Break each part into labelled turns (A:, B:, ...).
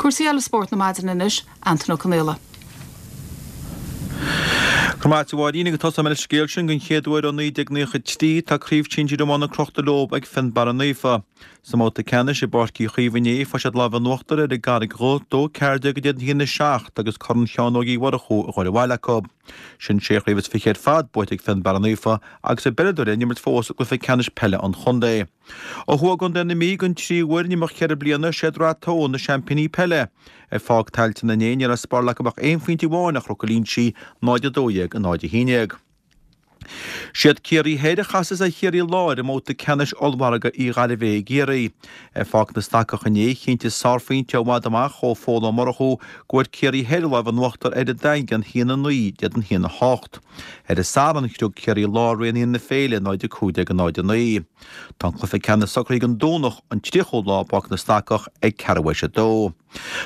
A: Cúrsaí eile spóirt na maidine anois, Antaine Ó Conaola.
B: Go raibh maith agat a Mháirín agus tosóidh mé leis an scéal sin, den chéad uair ó 1993 tá Craobh Shinsir Iomána crochta leo ag Fionnbarra Naofa. Sa mbabhta ceannais i bPáirc Uí Chaoimh inné fuair siad lámh in uachtar ar an gCarraig Dhubh, 2-14 in éadan 1-7 agus Corn Sheáin Óig Uí Mhurchú a dhul abhaile acu. Sin sé chraobh is fiche ar fad buaite ag Fionnbarra Naofa agus a bpeileadóirí ag imirt fós i gcluiche ceannais peile an chontae. Ó thuaidh i gContae na Mí, don tríú huair in imeacht cheithre bliana, is iad Rath Tó na seaimpíní peile. Ar Pháirc Tailteann inné, ní raibh spáráil acu ach aon phointe amháin ar Chnoc an Línsigh, 0-12, 0-11. Siad Ciarraí Thoir a chasfas ar Chiarraí Láir i mbabhta ceannais ollmhargadh Uí Ghairbhé i gCiarraí. Ar Pháirc na Stacach inné, chinntigh sárphointe ó i bhfad amach ó Phól Ó Murchú go bhfuair Ciarraí Thoir lámh in uachtar ar an Daingean 1-9 in éadan 1-8. Ar an Satharn, scrios Ciarraí Láir Raon na Féile 0-15 0-9. Tá an cluiche ceannais socraithe don Domhnach, an 30ú lá i bPáirc na Stacach ag ceathrú théis a dó.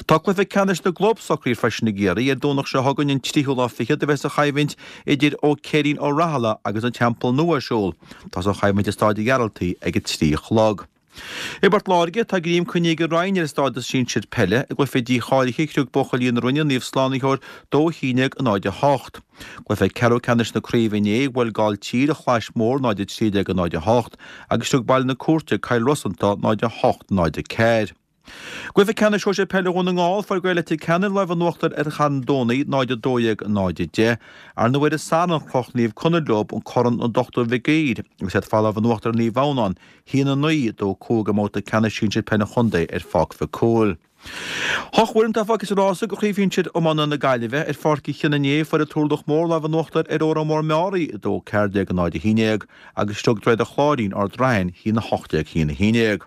B: Tá cluiche ceannais na gclub socraithe freisin i gCiarraí ar Domhnach seo chugainn, an tríú lá fichead, a bheas an choimhlint idir Ó Céirín Ó Rathaille agus an Teampall Nua ar siúl. Tosóidh an choimhlint i Stáid an Ghearaltaigh ag a 3 a chlog. I bPort Láirge, tá greim coinnithe ag an Rinn ar a stádas sinsir peile. I gcluiche dícháilithe, chriog buachaillí na Rinne Naomh Slánaitheoir 2-11 0-8. Cluiche ceathrú ceannais na craoibhe inné, bhuail Gailltír an Chlais Mhór 0-13 0-8 agus chriog Baile na Cúirte Cill Rosanta 0-8 0-4. Cluiche ceannais sóisir peile Dhún na nGall, fuair Gaeil Leitir Ceanainn lámh in uachtar ar Charn Domhnaigh 0-12 0-10. Ar ndóigh ar an Satharn chroch Naomh Conaill leo an Corn an Dochtúir Mhic Uidhir agus iad ag fáil lámh in uachtar ar Naomh Adhamhnáin 1-9, 2-5 i mbabhta ceannais sinsir peile an chontae ar Pháirc Mhic Cumhaill. Ocht bhfoireann atá fágtha sa rása do Chraobh Shinsir Iomána na Gaillimhe. Ar Pháirc Uí Chionnaith inné, fuair an Turlach Mór lámh in uachtar ar Órán Mór Meáraí 2-14 0-11 agus shroich Droichead an Chláirín Ard Raithin 1-18 1-11.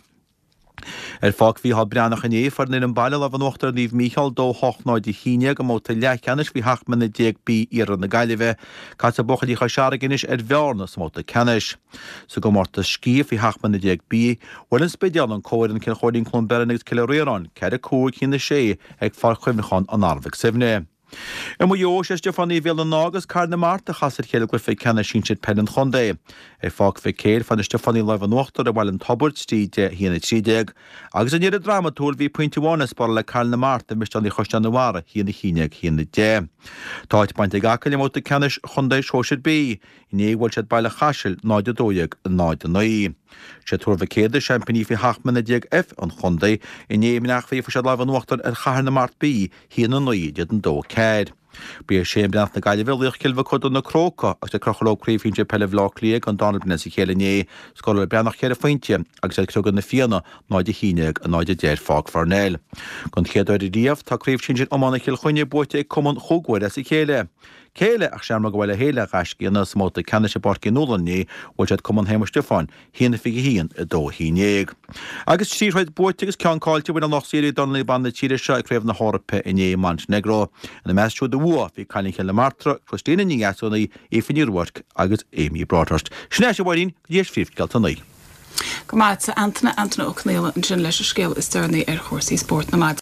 B: Ar Pháirc Mhícheál Breathnach inné, fuair an fhoireann baile lámh in uachtar ar Naomh Mícheál 2 8 0 11 i mbabhta leathcheannais faoi 17 mbliana B Iarthar na Gaillimhe. Casfaidh buachaillí Chois Fharraige anois ar Bhearna sa mbabhta ceannais. Sa gcomórtas sciath faoi 17 mbliana B, bhuail An Spidéal an comhfhoireann Cill Chóilín Cluain Bheirn agus Cill Ríoráin 4 5 1 6 ag Pháirc Chuimhneacháin an Arbhaigh Suibhne. I Maigh Eo, sé Stiofánaigh Bhéal an Átha agus Cathair na Mart a chas ar chéile i gcluiche ceannais sinsir peile an chontae. Ar Pháirc Mhic Éil, fuair na Stiofánaigh lámh in uachtar ar Bhaile an Tobair 3 10 1 13, agus i ndeireadh drámatúil bhí pointe amháin le spáráil ag Cathair na Mart ar Mhisneoirí Chaisleán an Bharraigh 1 11 1 10. Tá áit bainte ag Acaill i mbabhta ceannais chontae Shóisir B. Inné bhuail siad Baile Chaisil 0 12 0 9. Sé Tuar Mhic Éadaigh seaimpíní faoi 17 mbliana F an chontae. Inné i mBleá Cliath fuair siad lámh in uachtar ar Chathair na Mart B 1 9 in éadan 2 4. Ba é Shane Breathnach na Gaillimhe laoch Chill Mochuda na Crócaigh agus iad ag crochadh leo Craobh Shinsir Peile Bhaile Átha Cliath don dara bliain as a chéile inné. Scóráil Breathnach ceithre phointe agus iad ag criogadh Na Fianna 0 11 0 10 ar Pháirc Pharnell. Don chéad uair riamh tá Craobh Shinsir Iomána Chill Chainnigh buaite ag cumann chúig uair as a chéile. Cé eile ach Seamróga Bhaile Héil a ghaiscígh sa mbabhta ceannais i bPáirc Uí Nualláin inné, bhuail siad Cumann Shéamuis Stiofáin, 1-21, 2-11. Agus trí throid buaite agus ceann caillte bhain an lucht saoire ag Dornálaí Ban na tíre seo ag Craobh na hEorpa inné i Montenegro. Ina measc siúd a bhuaigh bhí cailín Chill na Martra, Christina Ní Dheasúnaigh, Aoife Ní Ruairc agus Amy Broadhurst. Sin é, a Mháirín, go dtí phríomhscéalta a naoi.
A: Go maith, a Antaine, Antaine Ó Conaola ansin leis an scéal is deireanaí ar chúrsaí spóirt na maidine.